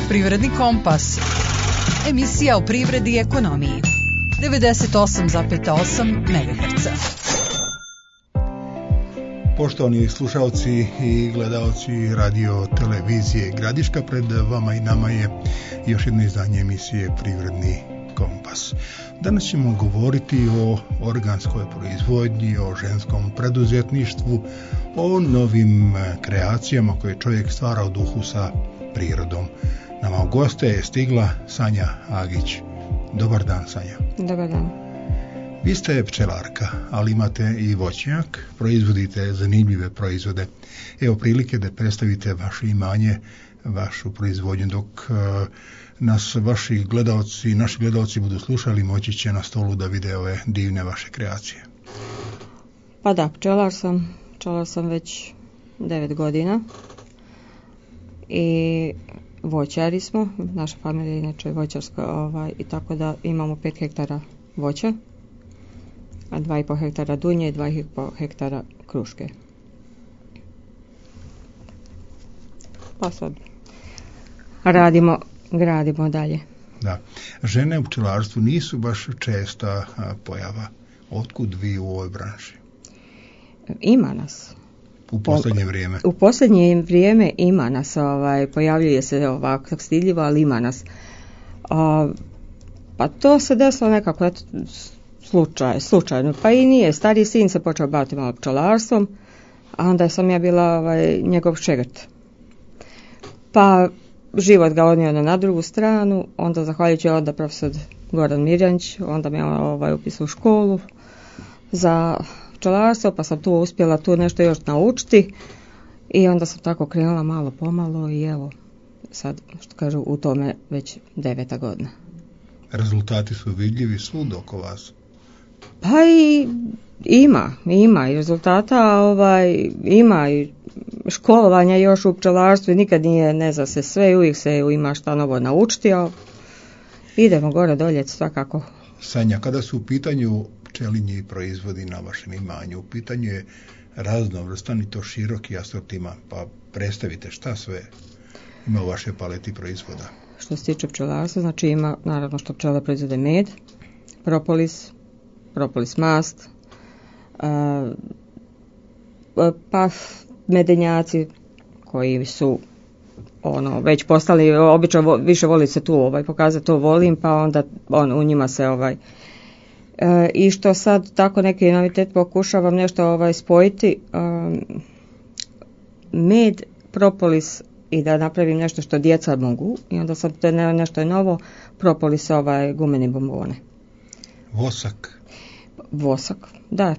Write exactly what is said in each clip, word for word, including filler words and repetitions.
Privredni kompas. Emisija o privredi i ekonomiji. devedeset osam zarez osam megaherca. Poštovani slušalci i gledalci radio televizije Gradiška, pred vama i nama je još jedno izdanje emisije Privredni kompas. Danas ćemo govoriti o organskoj proizvodnji, o ženskom preduzetništvu, o novim kreacijama koje čovjek stvara u duhu sa prirodom. Nama u goste je stigla Sanja Agić. Dobar dan, Sanja. Dobar dan. Vi ste pčelarka, ali imate i voćnjak, proizvodite zanimljive proizvode. Evo prilike da predstavite vaše imanje, vašu proizvodnju, dok uh, nas vaši gledalci, naši gledalci budu slušali, moći će na stolu da vide ove divne vaše kreacije. Pa da, pčelar sam, pčelar sam već devet godina i voćari smo, naša familija je inače voćarska, ovaj, i tako da imamo pet hektara voća, a dva i po hektara dunje i dva i po hektara kruške. Pa sad radimo, gradimo dalje. Da. Žene u pčelarstvu nisu baš česta a, pojava. Otkud vi u ovoj branši? Ima nas. U posljednje vrijeme? U posljednje vrijeme ima nas, ovaj, pojavljuje se ovako stidljivo, ali ima nas. A, pa to se desilo nekako eto, slučaj, slučajno. Pa i nije. Stariji sin se počeo baviti malo pčelarstvom, a onda sam ja bila ovaj, njegov šegrt. Pa život ga odnio na drugu stranu, onda zahvaljujući onda profesor Goran Mirjanić, onda me ovaj, upisao u školu za pčelarstvo, pa sam tu uspjela tu nešto još naučiti i onda sam tako krenula malo pomalo i evo sad što kažu u tome već deveta godina. Rezultati su vidljivi svud oko vas? Pa i ima, ima i rezultata, ovaj, ima i školovanja još u pčelarstvu, nikad nije, ne zna se sve, uvijek se ima šta novo naučiti, a idemo gore dolje svakako. Sanja, kada su u pitanju pčelinji proizvodi na vašem imanju, u pitanju je raznovrstan i to široki asortiman, pa predstavite šta sve ima u vašoj paleti proizvoda. Što se tiče pčelarstva, znači ima naravno što pčele proizvode med, propolis, propolis mast, uh, pa medenjaci koji su ono već postali, obično više voli se tu ovaj pokazati to volim, pa onda on u njima se ovaj e, i što sad tako neki novitet pokušavam nešto ovaj spojiti, um, med, propolis i da napravim nešto što djeca mogu i onda sam to ne, nešto je novo, propolis ovaj gumeni bombone. Vosak. Vosak, da,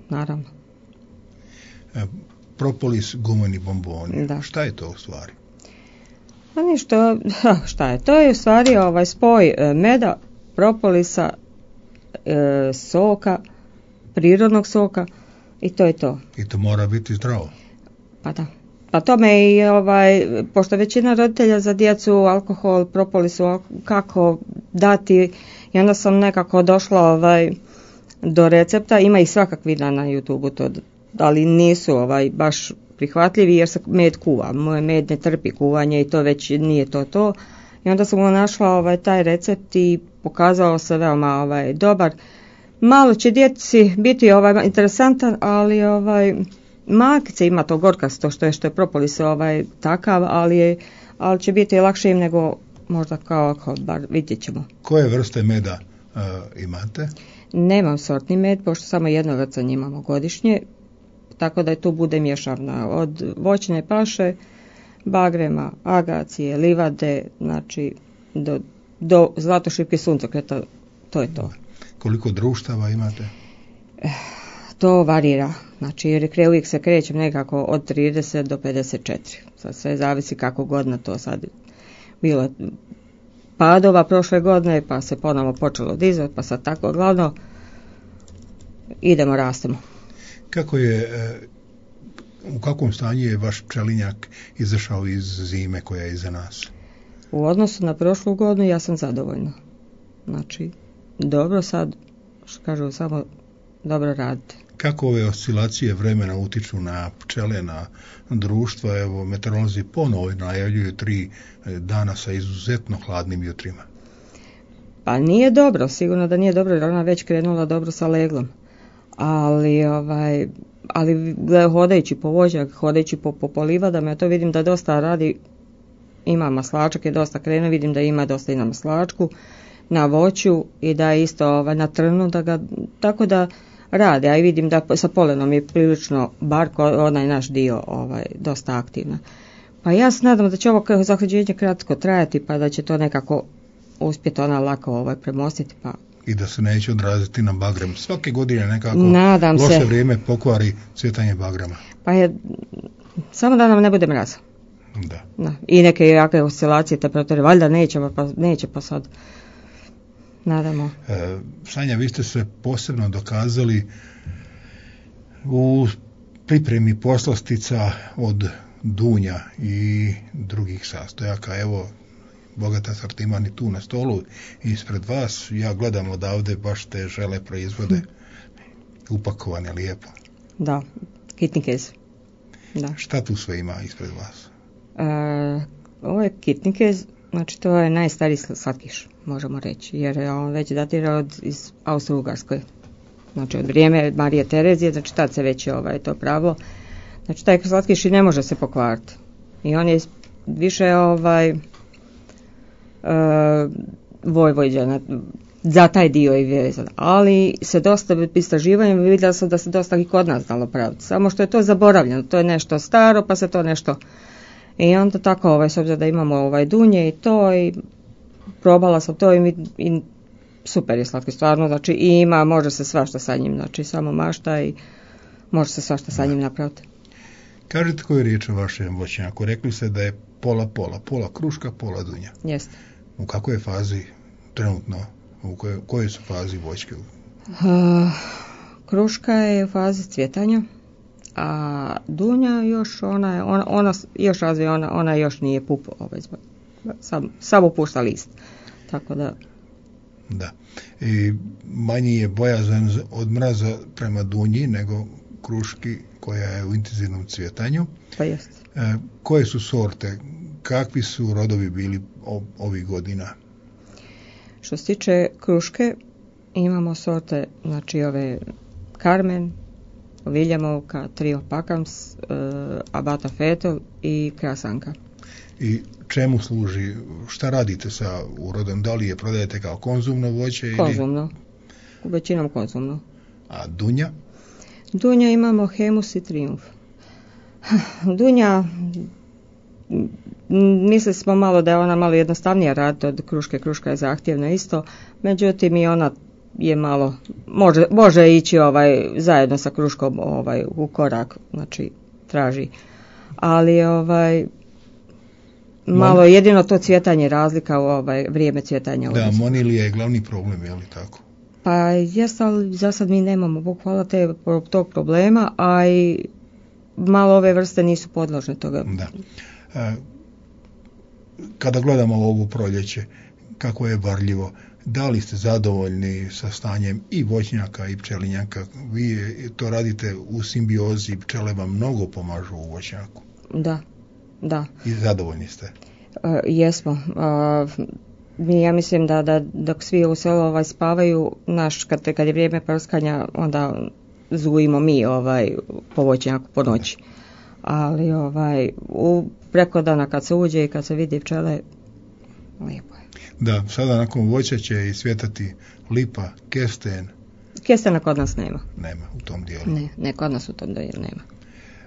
naravno. E, propolis gumeni bomboni. Da. Šta je to u stvari? Pa ništa, šta je? To je u stvari ovaj spoj meda, propolisa, e, soka, prirodnog soka i to je to. I to mora biti zdravo. Pa da. Pa tome i ovaj, pošto većina roditelja za djecu alkohol, propolisu, kako dati, i onda sam nekako došla ovaj, do recepta, ima ih svakakvih na YouTubeu to, ali nisu ovaj baš prihvatljivi jer se med kuva. Moj med ne trpi kuvanje i to već nije to to. I onda sam mu našla ovaj taj recept i pokazao se veoma ovaj dobar. Malo će djeci biti ovaj interesantan, ali ovaj malkice ima to gorkasto što je što je propolis ovaj takav, ali je, ali će biti lakše im nego možda kao alkohol, bar vidjet ćemo. Koje vrste meda uh, imate? Nemam sortni med, pošto samo jedno vrcanje imamo godišnje, tako da je tu bude mješavna od voćne paše, bagrema, agacije, livade, znači do, do zlatošipke suncokreta, to je to. Koliko društava imate? To varira, znači jer uvijek se krećem nekako od trideset do pedeset četiri, sad sve zavisi kako godina to sad bilo padova prošle godine, pa se ponovo počelo dizati, pa sad tako glavno idemo, rastemo. Kako je, u kakvom stanju je vaš pčelinjak izašao iz zime koja je iza nas? U odnosu na prošlu godinu ja sam zadovoljna. Znači, dobro sad, što kažu, samo dobro radite. Kako ove oscilacije vremena utiču na pčele, na društva? Evo, meteorolozi ponovo najavljuju tri dana sa izuzetno hladnim jutrima. Pa nije dobro, sigurno da nije dobro, jer ona već krenula dobro sa leglom. Ali, ovaj, ali hodajući po vođak, hodajući po, po, po livadama, ja to vidim da dosta radi, ima maslačak, je dosta krenuo, vidim da ima dosta i na maslačku, na voću i da je isto ovaj, na trnu, da ga, tako da rade, a i vidim da sa polenom je prilično, bar onaj naš dio, ovaj, dosta aktivna. Pa ja se nadam da će ovo zahlađenje kratko trajati, pa da će to nekako uspjeti ona lako ovaj, premostiti, pa i da se neće odraziti na bagrem. Svake godine nekako nadam loše se. Vrijeme pokvari cvjetanje bagrema. Pa je, samo da nam ne bude mraza. Da. Da. I neke jake oscilacije temperature, valjda neće pa, neće pa sad. Nadamo. E, Sanja, vi ste se posebno dokazali u pripremi poslastica od dunja i drugih sastojaka. Evo, bogat asortiman i tu na stolu ispred vas. Ja gledam odavde baš te žele proizvode upakovane lijepo. Da, kitnikez. Da. Šta tu sve ima ispred vas? E, ovo je kitnikez, znači to je najstariji slatkiš, možemo reći, jer on već datira od iz Austro-Ugarskoj. Znači od vrijeme Marije Terezije, znači tad se već je ovaj, to pravilo. Znači taj slatkiš i ne može se pokvariti. I on je više ovaj Uh, Vojvođana, za taj dio je vezan, ali se dosta istraživanjem vidjela sam da se dosta i kod nas dalo praviti, samo što je to zaboravljeno, to je nešto staro pa se to nešto i onda tako ovaj, s obzirom da imamo ovaj dunje i to i probala sam to i, i super je slatki stvarno, znači i ima, može se svašta sa njim, znači samo mašta i može se svašta sa njim napraviti. Kažete koju je riječ o vašem voćnjaku, rekli ste da je pola pola, pola kruška, pola dunja. Jeste. U kakvoj je fazi trenutno, u kojoj, kojoj su fazi voćke? Uh, kruška je u fazi cvjetanja, a dunja još ona je, ona, ona još razvije, ona, ona još nije pup, ovaj, sam, samo pušta list. Tako da... Da. I manji je bojazan od mraza prema dunji nego kruški koja je u intenzivnom cvjetanju. Pa jest. E, koje su sorte? Kakvi su rodovi bili ovih godina? Što se tiče kruške, imamo sorte, znači ove Carmen, Viljamovka, Trio Pakams, uh, Abata Fetel i Krasanka. I čemu služi? Šta radite sa urodom? Da li je prodajete kao konzumno voće? Ili... Konzumno. Većinom konzumno. A dunja? Dunja imamo Hemus i Triumf. Dunja, mislili smo malo da je ona malo jednostavnija raditi od kruške, kruška je zahtjevna isto, međutim i ona je malo, može, može ići ovaj, zajedno sa kruškom ovaj, u korak, znači traži, ali ovaj, malo Mon... jedino to cvjetanje razlika u ovaj, vrijeme cvjetanja. Da, monilija je glavni problem, je li tako? Pa jest, ali za sad mi nemamo, Bog hvala, te, tog problema, a i malo ove vrste nisu podložne toga. Da. E, kada gledamo ovo proljeće, kako je varljivo, da li ste zadovoljni sa stanjem i voćnjaka i pčelinjaka? Vi to radite u simbiozi, pčele vam mnogo pomažu u voćnjaku. Da, da. I zadovoljni ste? E, jesmo. E, mi, ja mislim da, da dok svi u selu ovaj, spavaju, naš, kad, kad je vrijeme prskanja, onda zujimo mi ovaj, po voćnjaku po noći. Ali ovaj, u preko dana kad se uđe i kad se vidi pčele, lijepo je. Da, sada nakon voća će i svjetati lipa, kesten. Kestena kod nas nema. Nema u tom dijelu. Ne, ne kod nas u tom dijelu nema.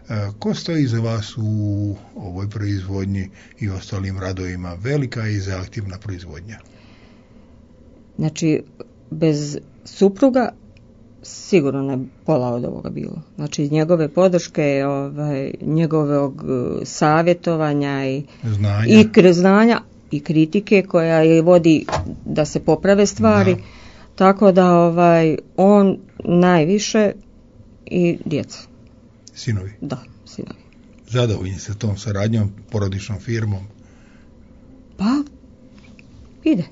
E, ko stoji za vas u ovoj proizvodnji i ostalim radovima? Velika i zahtjevna proizvodnja. Znači, bez supruga sigurno ne pola od ovoga bilo. Znači, njegove podrške, ovaj, njegovog savjetovanja i znanja. i kr- znanja i kritike koja je vodi da se poprave stvari. Da. Tako da ovaj, on najviše i djeca. Sinovi? Da, sinovi. Zadovoljni se tom saradnjom, porodičnom firmom? Pa, ide.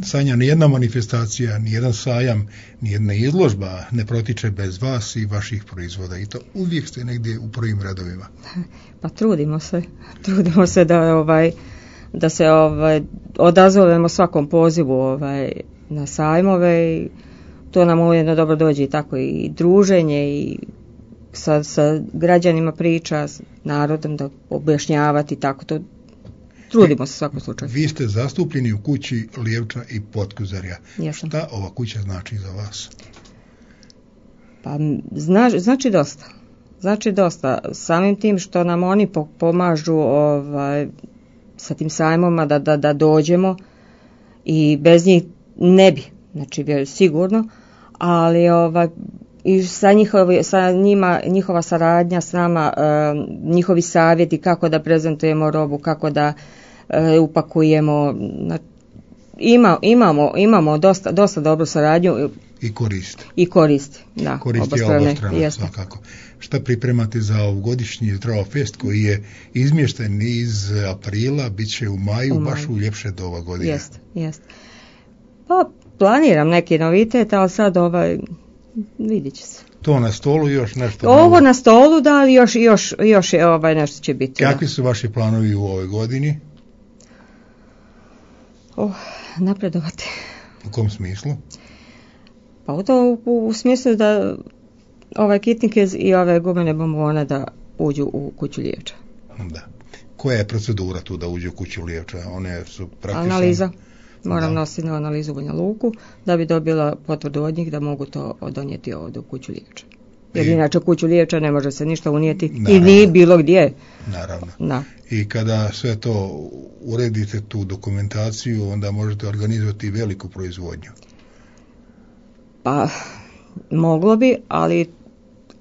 Sanja, nijedna manifestacija, nijedan sajam, nijedna izložba ne protiče bez vas i vaših proizvoda i to uvijek ste negdje u prvim redovima. Pa trudimo se, trudimo se da ovaj da se ovaj odazovemo svakom pozivu ovaj na sajmove i to nam ujedno dobro dođe i tako i druženje i sa, sa građanima priča, s narodom da objašnjavati tako to. Trudimo se svakom slučaju. Vi ste zastupljeni u kući Lijevča i Potkuzarja. Jesam. Šta ova kuća znači za vas? Pa zna, znači dosta. Znači dosta. Samim tim što nam oni pomažu ovaj, sa tim sajmoma da, da, da dođemo i bez njih ne bi. Znači sigurno. Ali ovaj, i sa, njihovi, sa njima, njihova saradnja s nama, e, njihovi savjeti kako da prezentujemo robu, kako da e, upakujemo. Na, ima, imamo imamo dosta, dosta dobru saradnju. I koristi. I koristi, da. Koristi obostrano, svakako. Šta pripremate za ovogodišnji Zdravofest koji je izmješten iz aprila, bit će u maju, u maju. Baš u ljepše doba godine. Jeste, jeste. Pa planiram neki novitet, ali sad ovaj... Vidjet će se. To na stolu još nešto? Ovo novo. Na stolu, da, ali još, još, još je, ovaj, nešto će biti. Kakvi da. su vaši planovi u ovoj godini? Oh, napredovati. U kom smislu? Pa u to u, u smislu da ovaj kitnike i ove gumene bombone da uđu u kuću Lijevča. Da. Koja je procedura tu da uđu u kuću Lijevča? One su praktično... Analiza. Moram da. nositi na analizu u Banja Luku da bi dobila potvrdu od njih da mogu to donijeti ovdje u kuću Lijevča. Jer I, inače u kuću Lijevča ne može se ništa unijeti naravno, i ni bilo gdje. Naravno. Da. I kada sve to uredite, tu dokumentaciju, onda možete organizovati veliku proizvodnju. Pa, moglo bi, ali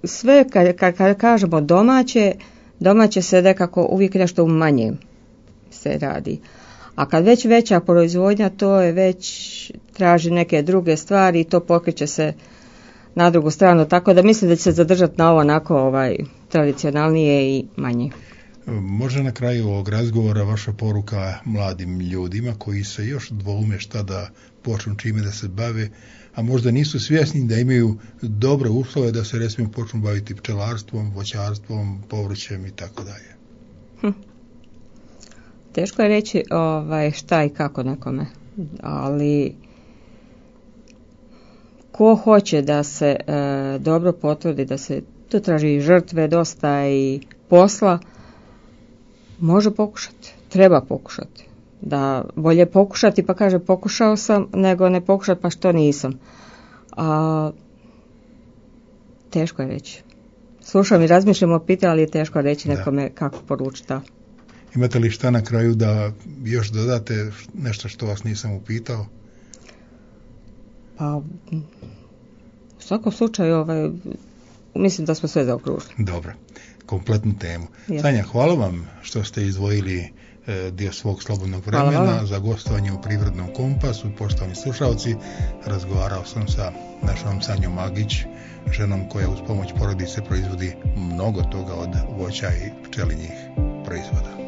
sve kad, kad, kad kažemo domaće, domaće se nekako uvijek nešto u manjem se radi. A kad već veća proizvodnja, to je već traži neke druge stvari i to pokreće se na drugu stranu, tako da mislim da će se zadržati na ovo onako ovaj, tradicionalnije i manje. Može na kraju ovog razgovora vaša poruka mladim ljudima koji se još dvoume šta da počnu čime da se bave, a možda nisu svjesni da imaju dobre uslove da se recimo počnu baviti pčelarstvom, voćarstvom, povrćem i tako dalje. Hm. Teško je reći ovaj, šta i kako nekome, ali ko hoće da se e, dobro potvrdi, da se tu traži žrtve dosta i posla, može pokušati, treba pokušati. Da bolje pokušati pa kaže pokušao sam, nego ne pokušati pa što nisam. A, teško je reći. Slušam i razmišljam o pitanju, ali je teško reći nekome da. Kako poručiti. Imate li šta na kraju da još dodate nešto što vas nisam upitao? Pa, u svakom slučaju, ovaj, mislim da smo sve zaokružili. Dobro, kompletnu temu. Ja. Sanja, hvala vam što ste izdvojili e, dio svog slobodnog vremena za gostovanje u Privrednom kompasu. Poštovani slušalci, razgovarao sam sa našom Sanjom Magić, ženom koja uz pomoć porodice proizvodi mnogo toga od voća i pčelinjih proizvoda.